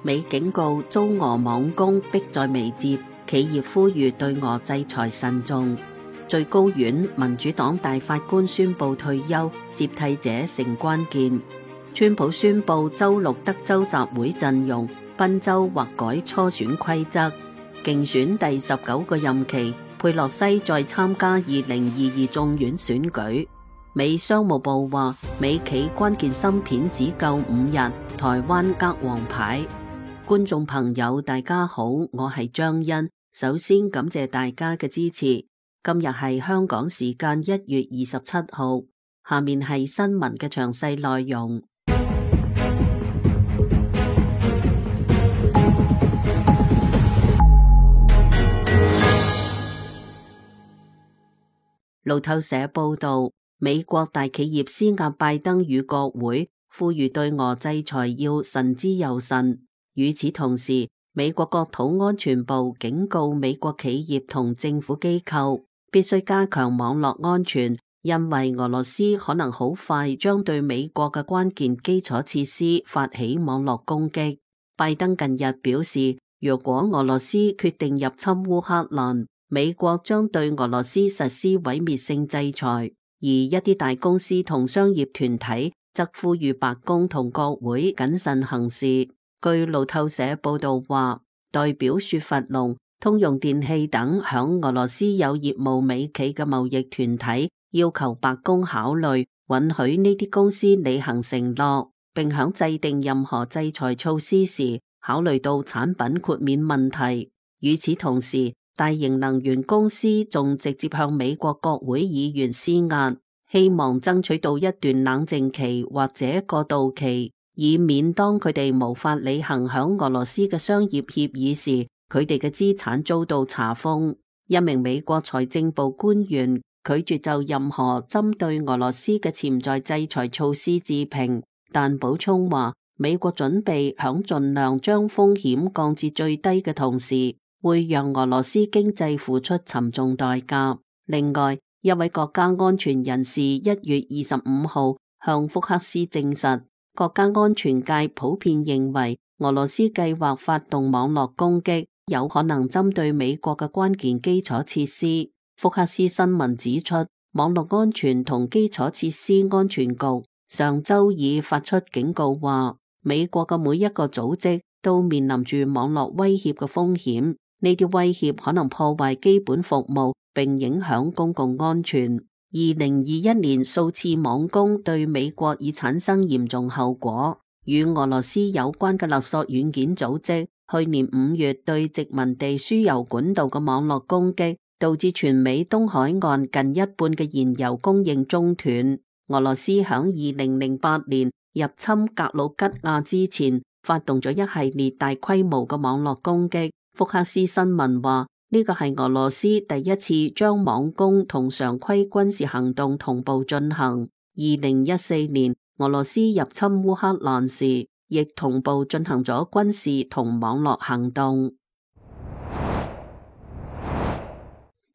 美警告遭俄網攻迫在眉睫，企業呼籲對俄制裁慎重。最高院民主黨大法官宣布退休，接替者成關鍵。川普宣布周六德州集會陣容，賓州或改初選規則。競選第19個任期，佩洛西再參加2022眾院選舉。美商務部話，美企關鍵芯片只夠5日，台灣握王牌。觀眾朋友大家好，我係張欣，首先感謝大家嘅支持。今日係香港時間1月27號，下面係新聞嘅詳細內容。路透社報道，美國大企業施壓拜登與國會，呼籲對俄制裁要慎之又慎。與此同時，美國國土安全部警告美國企業同政府機構必須加強網絡安全，因為俄羅斯可能好快將對美國嘅關鍵基礎設施發起網絡攻擊。拜登近日表示，若果俄羅斯決定入侵烏克蘭，美國將對俄羅斯實施毀滅性制裁。而一啲大公司同商業團體則呼籲白宮同國會謹慎行事。據路透社報道話，代表雪佛龍、通用電氣等響俄羅斯有業務美企嘅貿易團體要求白宮考慮允許呢啲公司履行承諾，並響制定任何制裁措施時考慮到產品豁免問題。與此同時，大型能源公司仲直接向美國國會議員施壓，希望爭取到一段冷靜期或者過渡期，以免當佢哋無法履行響俄羅斯嘅商業協議時，佢哋嘅資產遭到查封。一名美國財政部官員拒絕就任何針對俄羅斯嘅潛在制裁措施置評，但補充話，美國準備響盡量將風險降至最低嘅同時，會讓俄羅斯經濟付出沉重代價。另外，一位國家安全人士1月25號向福克斯證實，國家安全界普遍認為俄羅斯計劃發動網絡攻擊，有可能針對美國嘅關鍵基礎設施。福克斯新聞指出，網絡安全同基礎設施安全局上周已發出警告話，美國嘅每一個組織都面臨住網絡威脅嘅風險，呢啲威脅可能破壞基本服務並影響公共安全。2021年數次網攻對美國已產生嚴重後果。與俄羅斯有關嘅勒索軟件組織去年5月對殖民地輸油管道嘅網絡攻擊，導致全美東海岸近一半嘅燃油供應中斷。俄羅斯響2008年入侵格魯吉亞之前，發動咗一系列大規模嘅網絡攻擊。福克斯新聞話，呢個係俄羅斯第一次將網攻同常規軍事行動同步進行。2014年俄羅斯入侵烏克蘭時，亦同步進行咗軍事同網絡行動。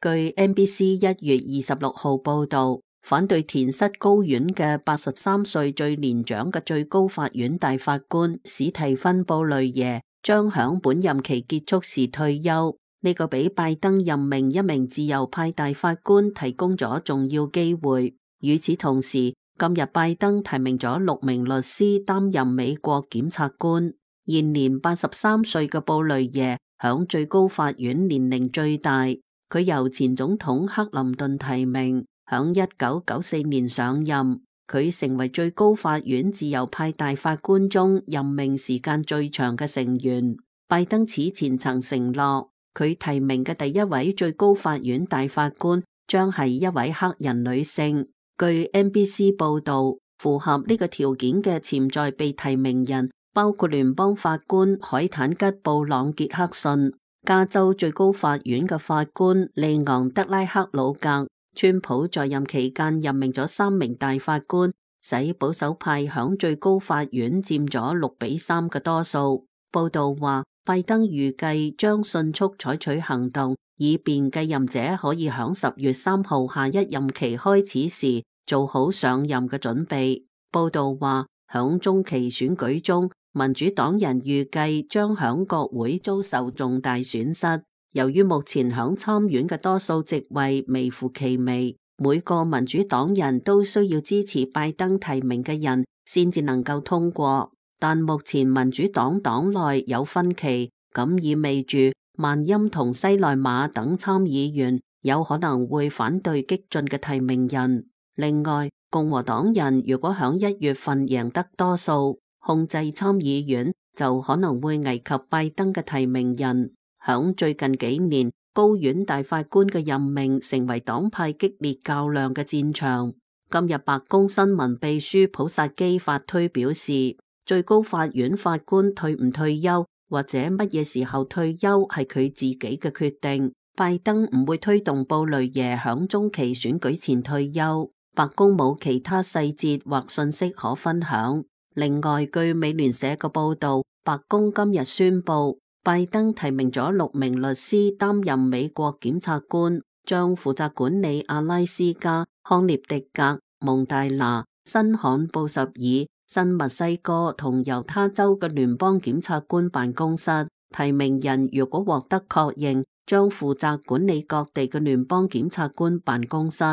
據 NBC 1月26號報道，反對填塞高院嘅83歲最年長嘅最高法院大法官史蒂芬布雷耶將響本任期結束時退休。呢個俾拜登任命一名自由派大法官提供咗重要機會。與此同時，今日拜登提名咗6名律師擔任美國檢察官。現年83歲嘅布雷耶響最高法院年齡最大，佢由前總統克林頓提名，響1994年上任。佢成為最高法院自由派大法官中任命時間最長嘅成員。拜登此前曾承諾，佢提名嘅第一位最高法院大法官將係一位黑人女性。據 NBC 報道，符合呢個條件嘅潛在被提名人包括聯邦法官海坦吉布朗傑克遜、加州最高法院嘅法官利昂德拉克魯格。川普在任期間任命咗3名大法官，使保守派響最高法院佔咗6-3嘅多數。報道話，拜登預計將迅速採取行動，以便繼任者可以響10月3號下一任期開始時做好上任嘅準備。報道話，響中期選舉中，民主黨人預計將響國會遭受重大損失。由於目前響參院嘅多數席位微乎其微，每個民主黨人都需要支持拜登提名嘅人先至能夠通過。但目前民主黨黨內有分歧，咁意味住萬欽同西內馬等參議員有可能會反對激進嘅提名人。另外，共和黨人如果響1月份贏得多數，控制參議院，就可能會危及拜登嘅提名人。響最近幾年，高院大法官嘅任命成為黨派激烈較量嘅戰場。今日白宮新聞秘書普薩基發推表示，最高法院法官退唔退休或者乜嘢時候退休係佢自己嘅決定。拜登唔會推動布雷耶響中期選舉前退休。白宮冇其他細節或信息可分享。另外，據美聯社嘅報道，白宮今日宣布，拜登提名咗6名律師擔任美國檢察官，將負責管理阿拉斯加、康涅狄格、蒙大拿、新罕布什爾、新墨西哥同猶他州嘅聯邦檢察官辦公室。提名人如果獲得確認，將負責管理各地嘅聯邦檢察官辦公室。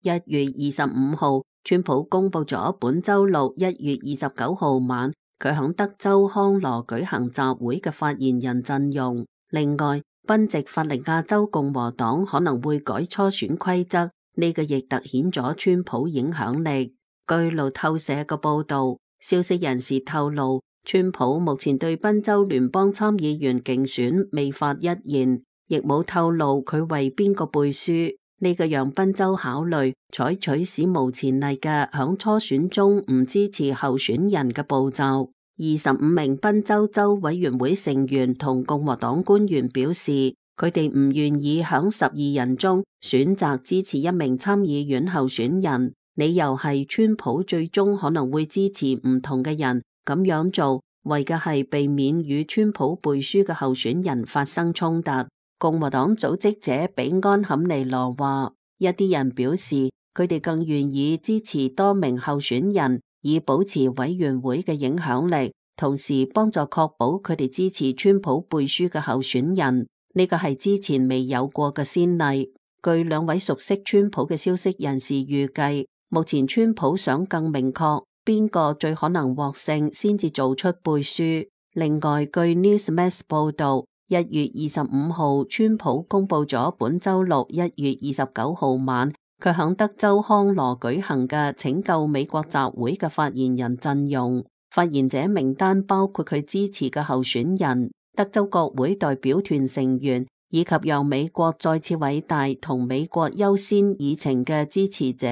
1月25號，川普公布咗本周六1月29號晚佢響德州康羅舉行集會嘅發言人陣容。另外，賓夕法尼亞州共和黨可能會改初選規則，呢個亦凸顯咗川普影響力。據路透社嘅報道，消息人士透露，川普目前對賓州聯邦參議員競選未發一言，亦冇透露佢為邊個背書。呢個讓賓州考慮採取史無前例嘅響初選中唔支持候選人嘅步驟。25名賓州州委員會成員同共和黨官員表示，佢哋唔願意響12人中選擇支持一名參議院候選人，理由係川普最終可能會支持唔同嘅人，咁樣做為嘅係避免與川普背書嘅候選人發生衝突。共和黨組織者比安坎尼羅話，一啲人表示佢哋更願意支持多名候選人，以保持委員會嘅影響力，同時幫助確保佢哋支持川普背書嘅候選人。呢個係之前未有過嘅先例。據兩位熟悉川普嘅消息人士預計，目前川普想更明確邊個最可能獲勝先至做出背書。另外，據 Newsmax 報道，1月25號，川普公布咗本周六1月29號晚佢響德州康羅舉行嘅拯救美國集會嘅發言人陣容。發言者名單包括佢支持嘅候選人、德州國會代表團成員以及讓美國再次偉大同美國優先議程嘅支持者。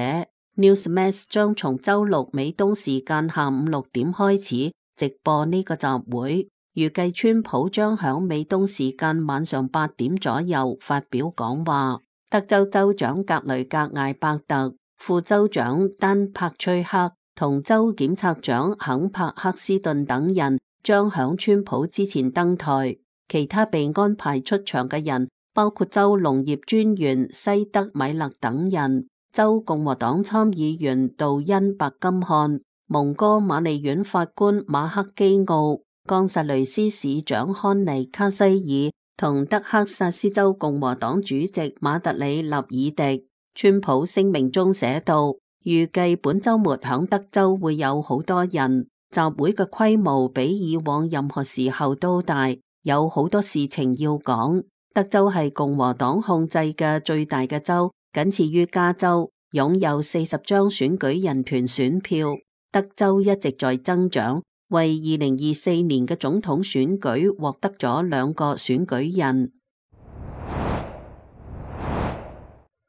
Newsmax 將從周六美東時間下午6點開始直播呢個集會。預計川普將響美東時間晚上8點左右發表講話。德州州長格雷格艾伯特、副州長丹柏崔克同州檢察長肯柏克斯頓等人將響川普之前登台。其他被安排出場嘅人包括州農業專員西德米勒等人、州共和黨參議員杜恩白金漢、蒙哥馬利縣法官馬克基奧、岡薩雷斯市長康尼卡西爾同德克薩斯州共和黨主席馬特里納爾迪。川普聲明中寫道，預計本周末響德州會有好多人，集會嘅規模比以往任何時候都大，有好多事情要講。德州係共和黨控制嘅最大嘅州，僅次於加州，擁有40張選舉人團選票。德州一直在增長，為2024年嘅總統選舉獲得咗2個選舉人。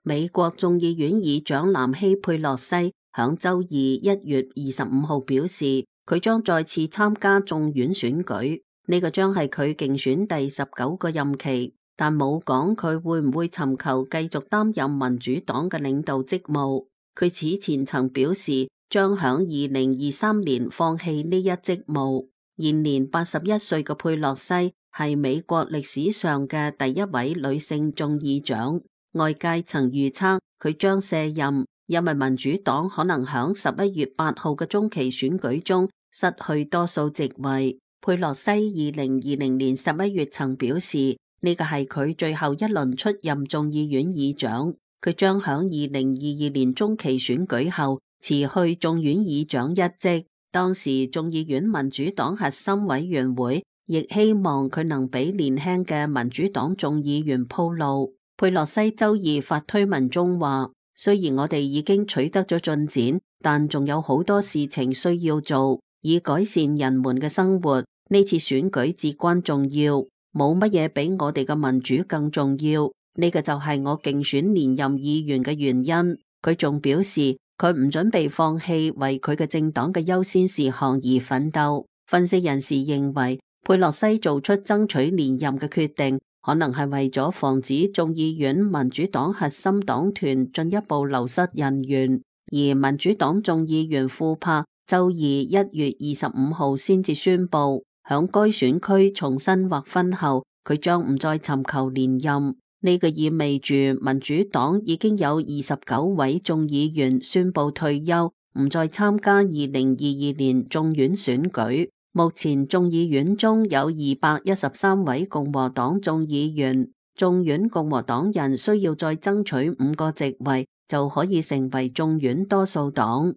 美國眾議院議長南希佩洛西響周二1月25號表示，佢將再次參加眾院選舉，呢個將係佢競選第19個任期，但冇講佢會唔會尋求繼續擔任民主黨嘅領導職務。佢此前曾表示將響2023年放棄呢一職務。現年81歲嘅佩洛西係美國歷史上嘅第一位女性眾議長，外界曾預測佢將卸任，因為民主黨可能響11月8號嘅中期選舉中失去多數席位。佩洛西2020年11月曾表示，呢個係佢最後一輪出任眾議院議長，佢將響2022年中期選舉後辭去眾院議長一職。當時眾議院民主黨核心委員會亦希望佢能俾年輕嘅民主黨眾議員鋪路。佩洛西周二發推文中話，雖然我哋已經取得咗進展，但仲有好多事情需要做，以改善人們嘅生活。呢次選舉至關重要，冇乜嘢比我哋嘅民主更重要。呢個就係我競選連任議員嘅原因。佢仲表示，佢唔準備放棄為佢嘅政黨嘅優先事項而奮鬥。分析人士認為，佩洛西做出爭取連任嘅決定，可能係為咗防止眾議院民主黨核心黨團進一步流失人員。而民主黨眾議員庫珀周二1月25號先至宣布，響該選區重新劃分後，佢將唔再尋求連任。呢個意味住民主黨已經有29位眾議員宣布退休，唔再參加2022年眾院選舉。目前眾議院中有213位共和黨眾議員，眾院共和黨人需要再爭取5個席位，就可以成為眾院多數黨。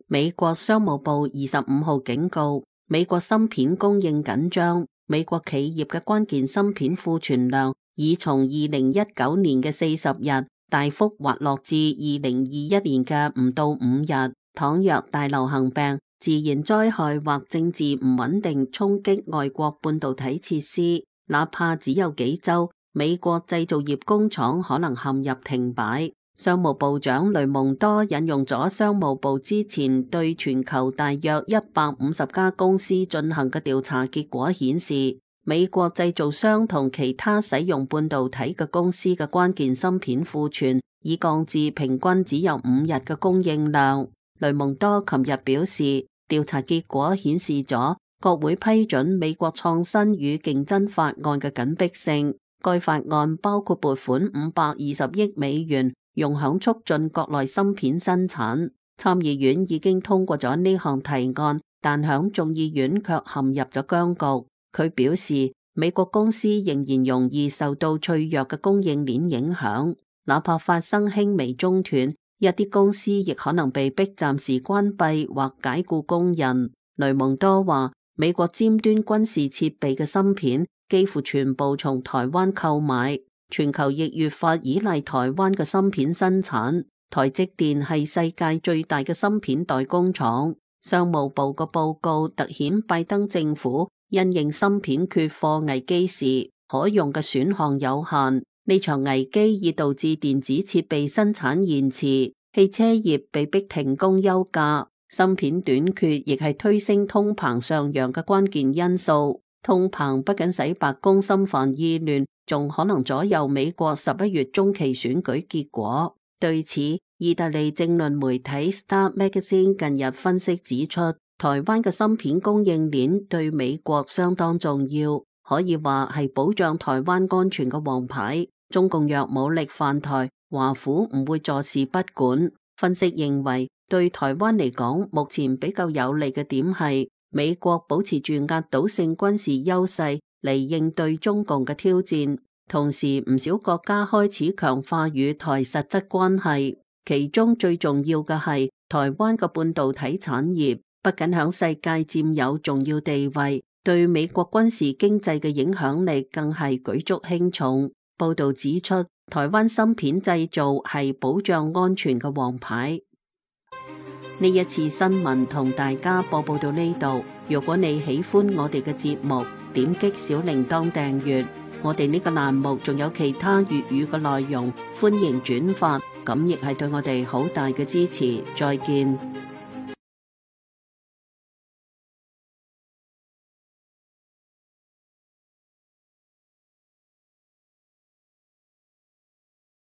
美國商務部25號警告，美國芯片供應緊張，美國企業嘅關鍵芯片庫存量已從2019年嘅40日大幅滑落至2021年嘅唔到5日。倘若大流行病、自然災害或政治唔穩定衝擊外國半導體設施，哪怕只有幾週，美國製造業工廠可能陷入停擺。商務部長雷蒙多引用咗商務部之前對全球大約150家公司進行嘅調查結果顯示，美國製造商同其他使用半導體嘅公司嘅關鍵芯片庫存已降至平均只有5日嘅供應量。雷蒙多琴日表示，調查結果顯示咗國會批准美國創新與競爭法案嘅緊迫性。該法案包括撥款520億美元，用響促進國內芯片生產。參議院已經通過咗呢項提案，但響眾議院卻陷入咗僵局。佢表示，美國公司仍然容易受到脆弱嘅供應鏈影響，哪怕發生輕微中斷，一啲公司亦可能被迫暫時關閉或解僱工人。雷蒙多話，美國尖端軍事設備嘅芯片幾乎全部從台灣購買，全球亦越發依賴台灣嘅芯片生產。台積電係世界最大嘅芯片代工廠。商務部嘅報告凸顯拜登政府因應芯片缺貨危機時可用嘅選項有限。呢場危機已導致電子設備生產延遲，汽車業被迫停工休假，芯片短缺亦係推升通膨上揚嘅關鍵因素。通膨不僅使白宮心煩意亂，仲可能左右美國11月中期選舉結果。對此，意大利政論媒體 Star Magazine 近日分析指出，台灣嘅芯片供應鏈對美國相當重要，可以話係保障台灣安全嘅王牌。中共若武力犯台，華府唔會坐視不管。分析認為，對台灣嚟講，目前比較有利嘅點係美國保持住壓倒性軍事優勢嚟應對中共嘅挑戰，同時唔少國家開始強化與台實質關係。其中最重要嘅係台灣嘅半導體產業，不僅響世界佔有重要地位，對美國軍事經濟嘅影響力更係舉足輕重。報道指出，台灣芯片製造係保障安全嘅王牌。呢一次新聞同大家播報到呢度。如果你喜歡我哋嘅節目，點擊小鈴鐺訂閱。我哋呢個欄目仲有其他粵語嘅內容，歡迎轉發，咁亦係對我哋好大嘅支持。再見。